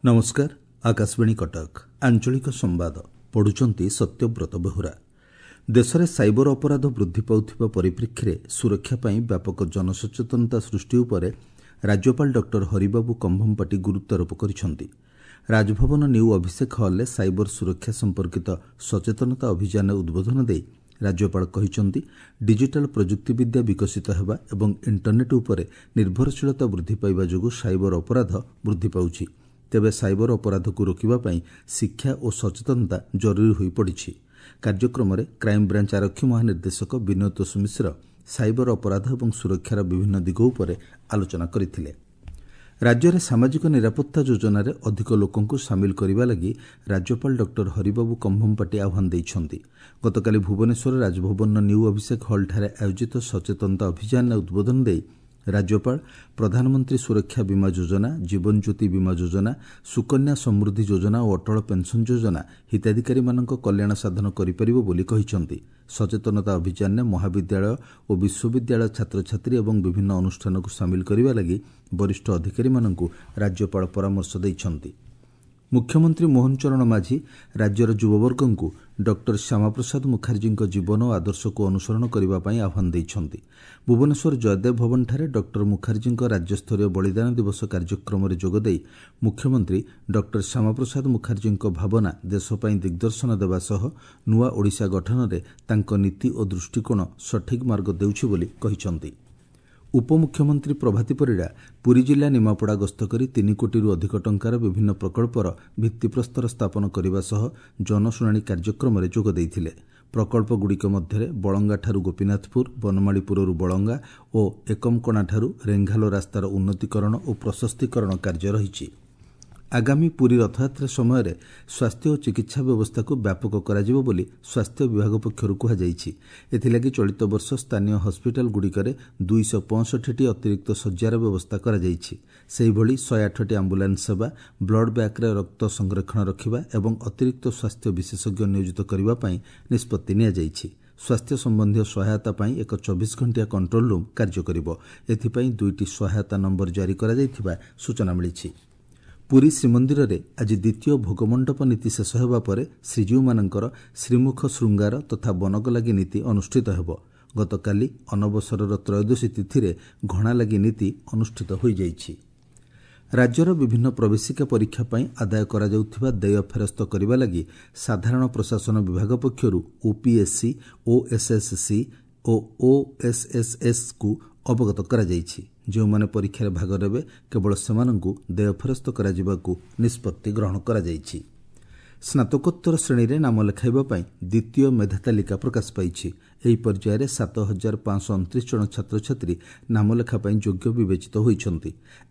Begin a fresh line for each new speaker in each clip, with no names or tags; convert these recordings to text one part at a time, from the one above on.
ନମସ୍କାର, ଆକାଶବାଣୀ କଟକ, ଆଞ୍ଚଳିକ ସମ୍ବାଦ ପଢୁଛନ୍ତି ସତ୍ୟବ୍ରତ ବେହୁରା। ଦେଶରେ ସାଇବର ଅପରାଧ ବୃଦ୍ଧି ପାଉଥିବା ପରିପ୍ରେକ୍ଷୀରେ ସୁରକ୍ଷା ପାଇଁ ବ୍ୟାପକ ଜନସଚେତନତା ସୃଷ୍ଟି ଉପରେ ରାଜ୍ୟପାଳ ଡକ୍ଟର ହରିବାବୁ କମ୍ଭମପାଟି ଗୁରୁତ୍ୱାରୋପ କରିଛନ୍ତି। ରାଜଭବନ ନ୍ୟୁ ଅଭିଷେକ ହଲ୍ରେ ସାଇବର ସୁରକ୍ଷା ସମ୍ପର୍କିତ ସଚେତନତା ଅଭିଯାନରେ ଉଦ୍ବୋଧନ ଦେଇ ରାଜ୍ୟପାଳ କହିଛନ୍ତି, ଡିଜିଟାଲ ପ୍ରଯୁକ୍ତିବିଦ୍ୟା ବିକଶିତ ହେବା ଏବଂ ଇଣ୍ଟରନେଟ୍ ଉପରେ ନିର୍ଭରଶୀଳତା ବୃଦ୍ଧି ପାଇବା ଯୋଗୁଁ ସାଇବର ଅପରାଧ ବୃଦ୍ଧି ପାଉଛି। ତେବେ ସାଇବର ଅପରାଧକୁ ରୋକିବା ପାଇଁ ଶିକ୍ଷା ଓ ସଚେତନତା ଜରୁରୀ ହୋଇପଡ଼ିଛି। କାର୍ଯ୍ୟକ୍ରମରେ କ୍ରାଇମବ୍ରାଞ୍ଚ ଆରକ୍ଷୀ ମହାନିର୍ଦ୍ଦେଶକ ବିନୟତୋଷ ମିଶ୍ର ସାଇବର ଅପରାଧ ଏବଂ ସୁରକ୍ଷାର ବିଭିନ୍ନ ଦିଗ ଉପରେ ଆଲୋଚନା କରିଥିଲେ। ରାଜ୍ୟରେ ସାମାଜିକ ନିରାପତ୍ତା ଯୋଜନାରେ ଅଧିକ ଲୋକଙ୍କୁ ସାମିଲ କରିବା ଲାଗି ରାଜ୍ୟପାଳ ଡକ୍ଟର ହରିବାବୁ କମ୍ଭମପାଟି ଆହ୍ୱାନ ଦେଇଛନ୍ତି। ଗତକାଲି ଭୁବନେଶ୍ୱର ରାଜଭବନର ନ୍ୟୁ ଅଭିଷେକ ହଲ୍ଠାରେ ଆୟୋଜିତ ସଚେତନତା ଅଭିଯାନରେ ଉଦ୍ବୋଧନ ଦେଇ ରାଜ୍ୟପାଳ ପ୍ରଧାନମନ୍ତ୍ରୀ ସୁରକ୍ଷା ବୀମା ଯୋଜନା, ଜୀବନଜ୍ୟୋତି ବୀମା ଯୋଜନା, ସୁକନ୍ୟା ସମୃଦ୍ଧି ଯୋଜନା ଓ ଅଟଳ ପେନ୍ସନ୍ ଯୋଜନା ହିତାଧିକାରୀମାନଙ୍କ କଲ୍ୟାଣ ସାଧନ କରିପାରିବ ବୋଲି କହିଛନ୍ତି। ସଚେତନତା ଅଭିଯାନରେ ମହାବିଦ୍ୟାଳୟ ଓ ବିଶ୍ୱବିଦ୍ୟାଳୟ ଛାତ୍ରଛାତ୍ରୀ ଏବଂ ବିଭିନ୍ନ ଅନୁଷ୍ଠାନକୁ ସାମିଲ କରିବା ଲାଗି ବରିଷ୍ଠ ଅଧିକାରୀମାନଙ୍କୁ ରାଜ୍ୟପାଳ ପରାମର୍ଶ ଦେଇଛନ୍ତି। ମୁଖ୍ୟମନ୍ତ୍ରୀ ମୋହନ ଚରଣ ମାଝୀ ରାଜ୍ୟର ଯୁବବର୍ଗଙ୍କୁ ଡକ୍ଟର ଶ୍ୟାମାପ୍ରସାଦ ମୁଖାର୍ଜୀଙ୍କ ଜୀବନ ଓ ଆଦର୍ଶକୁ ଅନୁସରଣ କରିବା ପାଇଁ ଆହ୍ୱାନ ଦେଇଛନ୍ତି। ଭୁବନେଶ୍ୱର ଜୟଦେବ ଭବନଠାରେ ଡକ୍ଟର ମୁଖାର୍ଜୀଙ୍କ ରାଜ୍ୟସ୍ତରୀୟ ବଳିଦାନ ଦିବସ କାର୍ଯ୍ୟକ୍ରମରେ ଯୋଗଦେଇ ମୁଖ୍ୟମନ୍ତ୍ରୀ ଡକ୍ଟର ଶ୍ୟାମାପ୍ରସାଦ ମୁଖାର୍ଜୀଙ୍କ ଭାବନା ଦେଶ ପାଇଁ ଦିଗ୍ଦର୍ଶନ ଦେବା ସହ ନୂଆ ଓଡ଼ିଶା ଗଠନରେ ତାଙ୍କ ନୀତି ଓ ଦୃଷ୍ଟିକୋଣ ସଠିକ୍ ମାର୍ଗ ଦେଉଛି ବୋଲି କହିଛନ୍ତି। ଉପମୁଖ୍ୟମନ୍ତ୍ରୀ ପ୍ରଭାତୀ ପରିଡ଼ା ପୁରୀ ଜିଲ୍ଲା ନିମାପଡ଼ା ଗସ୍ତ କରି 3 କୋଟିରୁ ଅଧିକ ଟଙ୍କାର ବିଭିନ୍ନ ପ୍ରକଳ୍ପର ଭିତ୍ତିପ୍ରସ୍ତର ସ୍ଥାପନ କରିବା ସହ ଜନଶୁଣାଣି କାର୍ଯ୍ୟକ୍ରମରେ ଯୋଗ ଦେଇଥିଲେ। ପ୍ରକଳ୍ପଗୁଡ଼ିକ ମଧ୍ୟରେ ବଳଙ୍ଗାଠାରୁ ଗୋପୀନାଥପୁର, ବନମାଳୀପୁରରୁ ବଳଙ୍ଗା ଓ ଏକମକଣାଠାରୁ ରେଙ୍ଘାଲୋ ରାସ୍ତାର ଉନ୍ନତିକରଣ ଓ ପ୍ରଶସ୍ତିକରଣ କାର୍ଯ୍ୟ ରହିଛି। ଆଗାମୀ ପୁରୀ ରଥଯାତ୍ରା ସମୟରେ ସ୍ୱାସ୍ଥ୍ୟ ଓ ଚିକିତ୍ସା ବ୍ୟବସ୍ଥାକୁ ବ୍ୟାପକ କରାଯିବ ବୋଲି ସ୍ୱାସ୍ଥ୍ୟ ବିଭାଗ ପକ୍ଷରୁ କୁହାଯାଇଛି। ଏଥିଲାଗି ଚଳିତ ବର୍ଷ ସ୍ଥାନୀୟ ହସ୍ପିଟାଲଗୁଡ଼ିକରେ 265ଟି ଅତିରିକ୍ତ ଶଯ୍ୟାର ବ୍ୟବସ୍ଥା କରାଯାଇଛି। ସେହିଭଳି 108ଟି ଆମ୍ବୁଲାନ୍ସ ସେବା, ବ୍ଲଡ୍ ବ୍ୟାଙ୍କରେ ରକ୍ତ ସଂରକ୍ଷଣ ରଖିବା ଏବଂ ଅତିରିକ୍ତ ସ୍ୱାସ୍ଥ୍ୟ ବିଶେଷଜ୍ଞ ନିୟୋଜିତ କରିବା ପାଇଁ ନିଷ୍ପତ୍ତି ନିଆଯାଇଛି। ସ୍ୱାସ୍ଥ୍ୟ ସମ୍ବନ୍ଧୀୟ ସହାୟତା ପାଇଁ ଏକ 24 ଘଣ୍ଟିଆ କଣ୍ଟ୍ରୋଲ ରୁମ୍ କାର୍ଯ୍ୟ କରିବ। ଏଥିପାଇଁ 2ଟି ସହାୟତା ନମ୍ବର ଜାରି କରାଯାଇଥିବା ସୂଚନା ମିଳିଛି। ପୁରୀ ଶ୍ରୀମନ୍ଦିରରେ ଆଜି ଦ୍ୱିତୀୟ ଭୋଗମଣ୍ଡପ ନୀତି ଶେଷ ହେବା ପରେ ଶ୍ରୀଜୀଉମାନଙ୍କର ଶ୍ରୀମୁଖ ଶୃଙ୍ଗାର ତଥା ବନକଲାଗି ନୀତି ଅନୁଷ୍ଠିତ ହେବ। ଗତକାଲି ଅନବସରର ତ୍ରୟୋଦଶୀ ତିଥିରେ ଘଣାଲାଗି ନୀତି ଅନୁଷ୍ଠିତ ହୋଇଯାଇଛି। ରାଜ୍ୟର ବିଭିନ୍ନ ପ୍ରବେଶିକା ପରୀକ୍ଷା ପାଇଁ ଆଦାୟ କରାଯାଉଥିବା ଦେୟ ଫେରସ୍ତ କରିବା ଲାଗି ସାଧାରଣ ପ୍ରଶାସନ ବିଭାଗ ପକ୍ଷରୁ ଓପିଏସ୍ସି, ଓଏସ୍ଏସ୍ସି ଓ ଓଏସ୍ଏସ୍ଏସ୍କୁ ଅବଗତ କରାଯାଇଛି। ଯେଉଁମାନେ ପରୀକ୍ଷାରେ ଭାଗ ନେବେ କେବଳ ସେମାନଙ୍କୁ ଦେୟ ଫେରସ୍ତ କରାଯିବାକୁ ନିଷ୍ପତ୍ତି ଗ୍ରହଣ କରାଯାଇଛି। ସ୍ନାତକୋତ୍ତର ଶ୍ରେଣୀରେ ନାମ ଲେଖାଇବା ପାଇଁ ଦ୍ୱିତୀୟ ମେଧା ତାଲିକା ପ୍ରକାଶ ପାଇଛି। ଏହି ପର୍ଯ୍ୟାୟରେ 7529 ଜଣ ଛାତ୍ରଛାତ୍ରୀ ନାମଲେଖା ପାଇଁ ଯୋଗ୍ୟ ବିବେଚିତ ହୋଇଛନ୍ତି।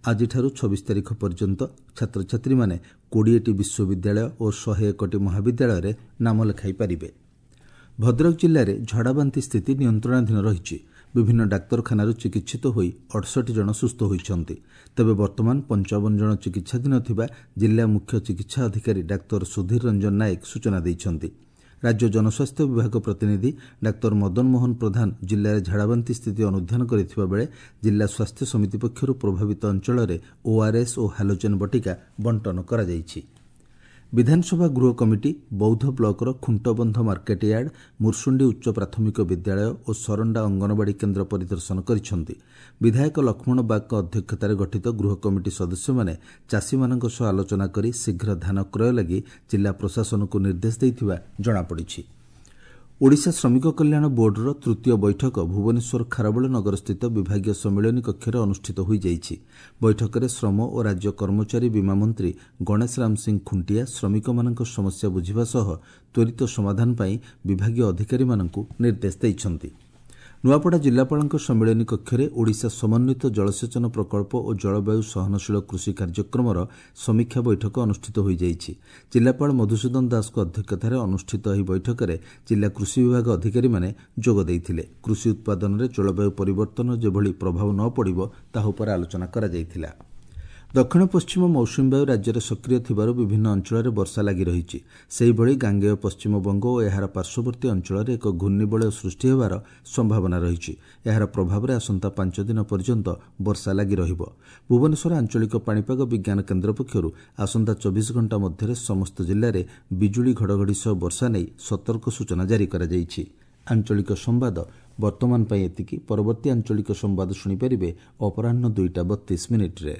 ଆଜିଠାରୁ 26 ତାରିଖ ପର୍ଯ୍ୟନ୍ତ ଛାତ୍ରଛାତ୍ରୀମାନେ 20ଟି ବିଶ୍ୱବିଦ୍ୟାଳୟ ଓ 101ଟି ମହାବିଦ୍ୟାଳୟରେ ନାମ ଲେଖାଇ ପାରିବେ। ଭଦ୍ରକ ଜିଲ୍ଲାରେ ଝାଡ଼ାବାନ୍ତି ସ୍ଥିତି ନିୟନ୍ତ୍ରଣାଧୀନ ରହିଛି। ବିଭିନ୍ନ ଡାକ୍ତରଖାନାରୁ ଚିକିତ୍ସିତ ହୋଇ 68 ଜଣ ସୁସ୍ଥ ହୋଇଛନ୍ତି। ତେବେ ବର୍ତ୍ତମାନ 55 ଜଣ ଚିକିତ୍ସାଧୀନ ଥିବା ଜିଲ୍ଲା ମୁଖ୍ୟ ଚିକିତ୍ସା ଅଧିକାରୀ ଡାକ୍ତର ସୁଧୀର ରଞ୍ଜନ ନାୟକ ସୂଚନା ଦେଇଛନ୍ତି। ରାଜ୍ୟ ଜନସ୍ୱାସ୍ଥ୍ୟ ବିଭାଗ ପ୍ରତିନିଧି ଡାକ୍ତର ମଦନ ମୋହନ ପ୍ରଧାନ ଜିଲ୍ଲାରେ ଝାଡ଼ାବାନ୍ତି ସ୍ଥିତି ଅନୁଧ୍ୟାନ କରିଥିବା ବେଳେ ଜିଲ୍ଲା ସ୍ୱାସ୍ଥ୍ୟ ସମିତି ପକ୍ଷରୁ ପ୍ରଭାବିତ ଅଞ୍ଚଳରେ ଓଆର୍ଏସ୍ ଓ ହାଲୋଜେନ୍ ବଟିକା ବଣ୍ଟନ କରାଯାଇଛି। ବିଧାନସଭା ଗୃହ କମିଟି ବୌଦ୍ଧ ବ୍ଲକର ଖୁଣ୍ଟବନ୍ଧ ମାର୍କେଟୟାର୍ଡ, ମୁର୍ସୁଣ୍ଡି ଉଚ୍ଚ ପ୍ରାଥମିକ ବିଦ୍ୟାଳୟ ଓ ସରଣ୍ଡା ଅଙ୍ଗନବାଡ଼ି କେନ୍ଦ୍ର ପରିଦର୍ଶନ କରିଛନ୍ତି। ବିଧାୟକ ଲକ୍ଷ୍ମଣ ବାଗଙ୍କ ଅଧ୍ୟକ୍ଷତାରେ ଗଠିତ ଗୃହ କମିଟି ସଦସ୍ୟମାନେ ଚାଷୀମାନଙ୍କ ସହ ଆଲୋଚନା କରି ଶୀଘ୍ର ଧାନ କ୍ରୟ ଲାଗି ଜିଲ୍ଲା ପ୍ରଶାସନକୁ ନିର୍ଦ୍ଦେଶ ଦେଇଥିବା ଜଣାପଡ଼ିଛି। ଓଡ଼ିଶା ଶ୍ରମିକ କଲ୍ୟାଣ ବୋର୍ଡର ତୃତୀୟ ବୈଠକ ଭୁବନେଶ୍ୱର ଖାରବେଳ ନଗରସ୍ଥିତ ବିଭାଗୀୟ ସମ୍ମିଳନୀ କକ୍ଷରେ ଅନୁଷ୍ଠିତ ହୋଇଯାଇଛି। ବୈଠକରେ ଶ୍ରମ ଓ ରାଜ୍ୟ କର୍ମଚାରୀ ବୀମା ମନ୍ତ୍ରୀ ଗଣେଶ ରାମ ସିଂ ଖୁଣ୍ଟିଆ ଶ୍ରମିକମାନଙ୍କ ସମସ୍ୟା ବୁଝିବା ସହ ତ୍ୱରିତ ସମାଧାନ ପାଇଁ ବିଭାଗୀୟ ଅଧିକାରୀମାନଙ୍କୁ ନିର୍ଦ୍ଦେଶ ଦେଇଛନ୍ତି। ନୂଆପଡ଼ା ଜିଲ୍ଲାପାଳଙ୍କ ସମ୍ମିଳନୀ କକ୍ଷରେ ଓଡ଼ିଶା ସମନ୍ୱିତ ଜଳସେଚନ ପ୍ରକଳ୍ପ ଓ ଜଳବାୟୁ ସହନଶୀଳ କୃଷି କାର୍ଯ୍ୟକ୍ରମର ସମୀକ୍ଷା ବୈଠକ ଅନୁଷ୍ଠିତ ହୋଇଯାଇଛି। ଜିଲ୍ଲାପାଳ ମଧୁସୂଦନ ଦାସଙ୍କ ଅଧ୍ୟକ୍ଷତାରେ ଅନୁଷ୍ଠିତ ଏହି ବୈଠକରେ ଜିଲ୍ଲା କୃଷି ବିଭାଗ ଅଧିକାରୀମାନେ ଯୋଗ ଦେଇଥିଲେ। କୃଷି ଉତ୍ପାଦନରେ ଜଳବାୟୁ ପରିବର୍ତ୍ତନ ଯେଭଳି ପ୍ରଭାବ ନ ପଡ଼ିବ ତାହା ଉପରେ ଆଲୋଚନା କରାଯାଇଥିଲା। ଦକ୍ଷିଣ ପଶ୍ଚିମ ମୌସୁମୀ ବାୟୁ ରାଜ୍ୟରେ ସକ୍ରିୟ ଥିବାରୁ ବିଭିନ୍ନ ଅଞ୍ଚଳରେ ବର୍ଷା ଲାଗି ରହିଛି। ସେହିଭଳି ଗାଙ୍ଗେୟ ପଶ୍ଚିମବଙ୍ଗ ଓ ଏହାର ପାର୍ଶ୍ୱବର୍ତ୍ତୀ ଅଞ୍ଚଳରେ ଏକ ଘୂର୍ଣ୍ଣିବଳୟ ସୃଷ୍ଟି ହେବାର ସମ୍ଭାବନା ରହିଛି। ଏହାର ପ୍ରଭାବରେ ଆସନ୍ତା ପାଞ୍ଚ ଦିନ ପର୍ଯ୍ୟନ୍ତ ବର୍ଷା ଲାଗି ରହିବ। ଭୁବନେଶ୍ୱର ଆଞ୍ଚଳିକ ପାଣିପାଗ ବିଜ୍ଞାନ କେନ୍ଦ୍ର ପକ୍ଷରୁ ଆସନ୍ତା 24 ଘଣ୍ଟା ମଧ୍ୟରେ ସମସ୍ତ ଜିଲ୍ଲାରେ ବିଜୁଳି ଘଡ଼ଘଡ଼ି ସହ ବର୍ଷା ନେଇ ସତର୍କ ସୂଚନା ଜାରି କରାଯାଇଛି। ଆଞ୍ଚଳିକ ସମ୍ବାଦ ବର୍ତ୍ତମାନ ପାଇଁ ଏତିକି। ପରବର୍ତ୍ତୀ ଆଞ୍ଚଳିକ ସମ୍ବାଦ ଶୁଣିପାରିବେ ଅପରାହ୍ନ 2ଟା 32 ମିନିଟ୍ରେ।